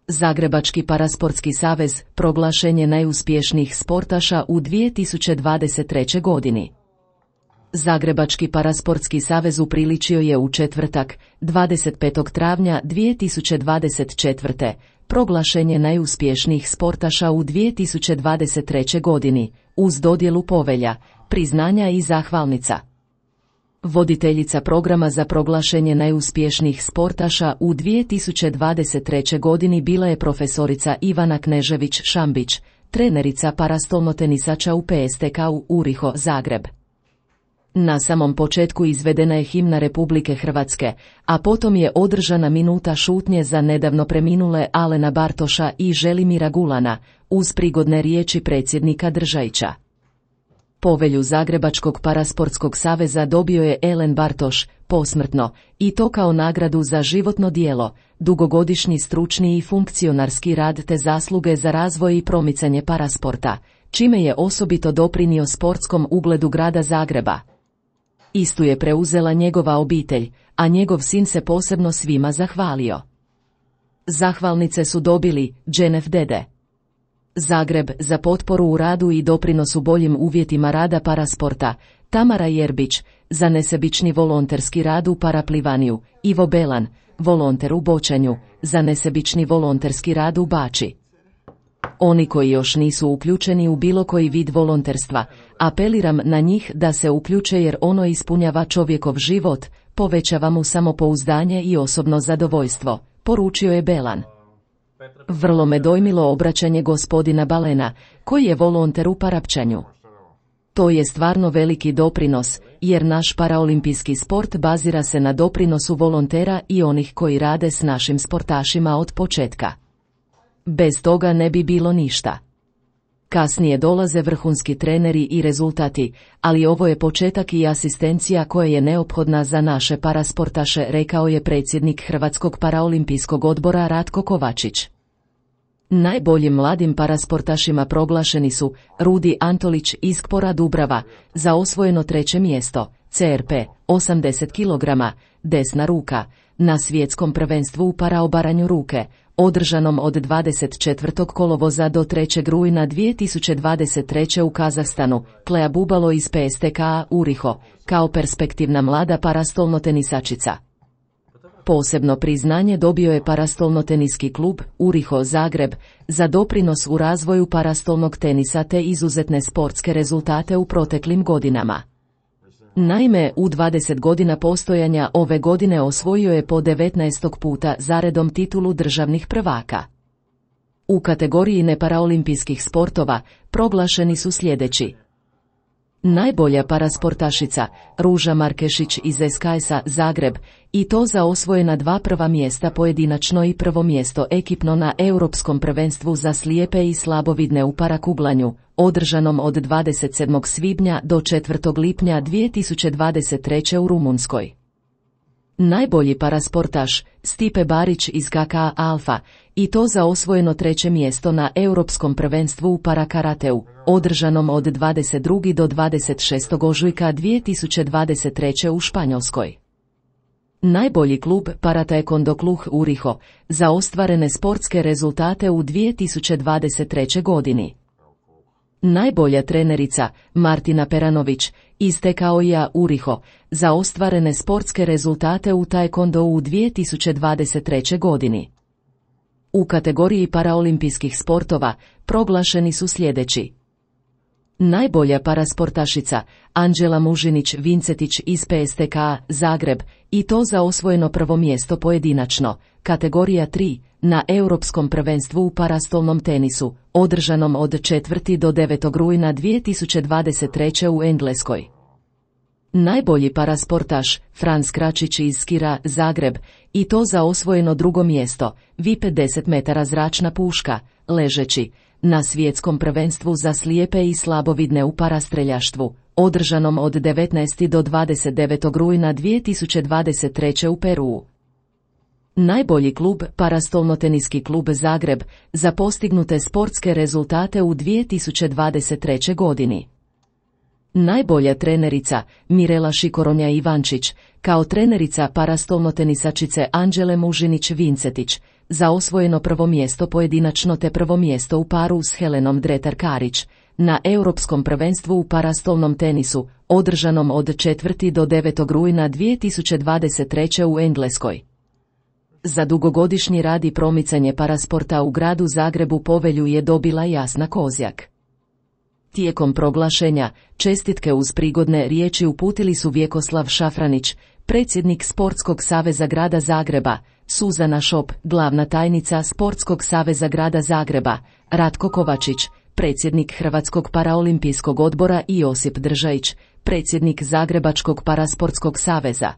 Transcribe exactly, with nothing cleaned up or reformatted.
Zagrebački parasportski savez proglašen je najuspješnijih sportaša u dvije tisuće dvadeset trećoj godini. Zagrebački parasportski savez upriličio je u četvrtak, dvadeset petog travnja dvije tisuće dvadeset četvrte. proglašen je najuspješnijih sportaša u dvije tisuće dvadeset trećoj godini, uz dodjelu povelja, priznanja i zahvalnica. Voditeljica programa za proglašenje najuspješnijih sportaša u dvije tisuće dvadeset trećoj godini bila je profesorica Ivana Knežević-Šambić, trenerica parastolnotenisača u P S T K-u Uriho, Zagreb. Na samom početku izvedena je himna Republike Hrvatske, a potom je održana minuta šutnje za nedavno preminule Alena Bartoša i Želimira Gulana, uz prigodne riječi predsjednika Držajića. Povelju Zagrebačkog parasportskog saveza dobio je Alen Bartoš, posmrtno, i to kao nagradu za životno djelo, dugogodišnji stručni i funkcionarski rad te zasluge za razvoj i promicanje parasporta, čime je osobito doprinio sportskom ugledu grada Zagreba. Istu je preuzela njegova obitelj, a njegov sin se posebno svima zahvalio. Zahvalnice su dobili Dženef Dede Zagreb za potporu u radu i doprinosu boljim uvjetima rada parasporta, Tamara Jerbić za nesebični volonterski rad u paraplivanju, Ivo Belan, volonter u bočanju, za nesebični volonterski rad u bači. Oni koji još nisu uključeni u bilo koji vid volonterstva, apeliram na njih da se uključe jer ono ispunjava čovjekov život, povećava mu samopouzdanje i osobno zadovoljstvo, poručio je Belan. Vrlo me dojmilo obraćanje gospodina Balena, koji je volonter u parapčanju. To je stvarno veliki doprinos, jer naš paraolimpijski sport bazira se na doprinosu volontera i onih koji rade s našim sportašima od početka. Bez toga ne bi bilo ništa. Kasnije dolaze vrhunski treneri i rezultati, ali ovo je početak i asistencija koja je neophodna za naše parasportaše, rekao je predsjednik Hrvatskog paraolimpijskog odbora Ratko Kovačić. Najboljim mladim parasportašima proglašeni su Rudi Antolić iz Kpora Dubrava za osvojeno treće mjesto, C R P osamdeset kilograma, desna ruka, na svjetskom prvenstvu u paraobaranju ruke, održanom od dvadeset četvrtog kolovoza do trećeg rujna dvije tisuće dvadeset treće u Kazahstanu, Klea Bubalo iz P S T K-a Uriho, kao perspektivna mlada parastolnotenisačica. Posebno priznanje dobio je parastolnoteniski klub Uriho Zagreb za doprinos u razvoju parastolnog tenisa te izuzetne sportske rezultate u proteklim godinama. Naime, u dvadeset godina postojanja ove godine osvojio je po devetnaestog puta zaredom titulu državnih prvaka. U kategoriji neparaolimpijskih sportova proglašeni su sljedeći: najbolja parasportašica Ruža Markešić iz S K S-a Zagreb, i to za osvojena dva prva mjesta pojedinačno i prvo mjesto ekipno na Europskom prvenstvu za slijepe i slabovidne u parakuglanju, održanom od dvadeset sedmog svibnja do četvrtog lipnja dvije tisuće dvadeset treće u Rumunjskoj. Najbolji parasportaš Stipe Barić iz K K A Alfa, i to za osvojeno treće mjesto na Europskom prvenstvu u parakarateu, održanom od dvadeset drugog do dvadeset šestog ožujka dvije tisuće dvadeset treće u Španjolskoj. Najbolji klub Parataekwondo Kluh Uriho za ostvarene sportske rezultate u dvije tisuće dvadeset trećoj godini. Najbolja trenerica Martina Peranović iz T K O-a Uriho za ostvarene sportske rezultate u taekwondo u dvije tisuće dvadeset trećoj godini. U kategoriji paraolimpijskih sportova proglašeni su sljedeći: najbolja parasportašica Anđela Mužinić Vincetić iz P S T K-a Zagreb, i to za osvojeno prvo mjesto pojedinačno, kategorija tri, na Europskom prvenstvu u parastolnom tenisu, održanom od četvrtog do devetog rujna dvije tisuće dvadeset treće u Engleskoj. Najbolji parasportaš Franz Kračić iz Skira Zagreb, i to za osvojeno drugo mjesto, V I pedeset metara zračna puška, ležeći, na svjetskom prvenstvu za slijepe i slabovidne u parastreljaštvu, održanom od devetnaestog do dvadeset devetog rujna dvije tisuće dvadeset treće u Peruu. Najbolji klub Parastolnoteniski klub Zagreb za postignute sportske rezultate u dvije tisuće dvadeset trećoj godini. Najbolja trenerica Mirela Šikoronja Ivančić, kao trenerica parastolnotenisačice Anđele Mužinić-Vincetić, za osvojeno prvo mjesto pojedinačno te prvo mjesto u paru s Helenom Dretar-Karić, na Europskom prvenstvu u parastolnom tenisu, održanom od četvrtog do devetog rujna dvije tisuće dvadeset treće. u Engleskoj. Za dugogodišnji rad i promicanje parasporta u gradu Zagrebu povelju je dobila Jasna Kozjak. Tijekom proglašenja, čestitke uz prigodne riječi uputili su Vjekoslav Šafranić, predsjednik Sportskog saveza grada Zagreba, Suzana Šop, glavna tajnica Sportskog saveza grada Zagreba, Ratko Kovačić, predsjednik Hrvatskog paraolimpijskog odbora i Josip Držajić, predsjednik Zagrebačkog parasportskog saveza.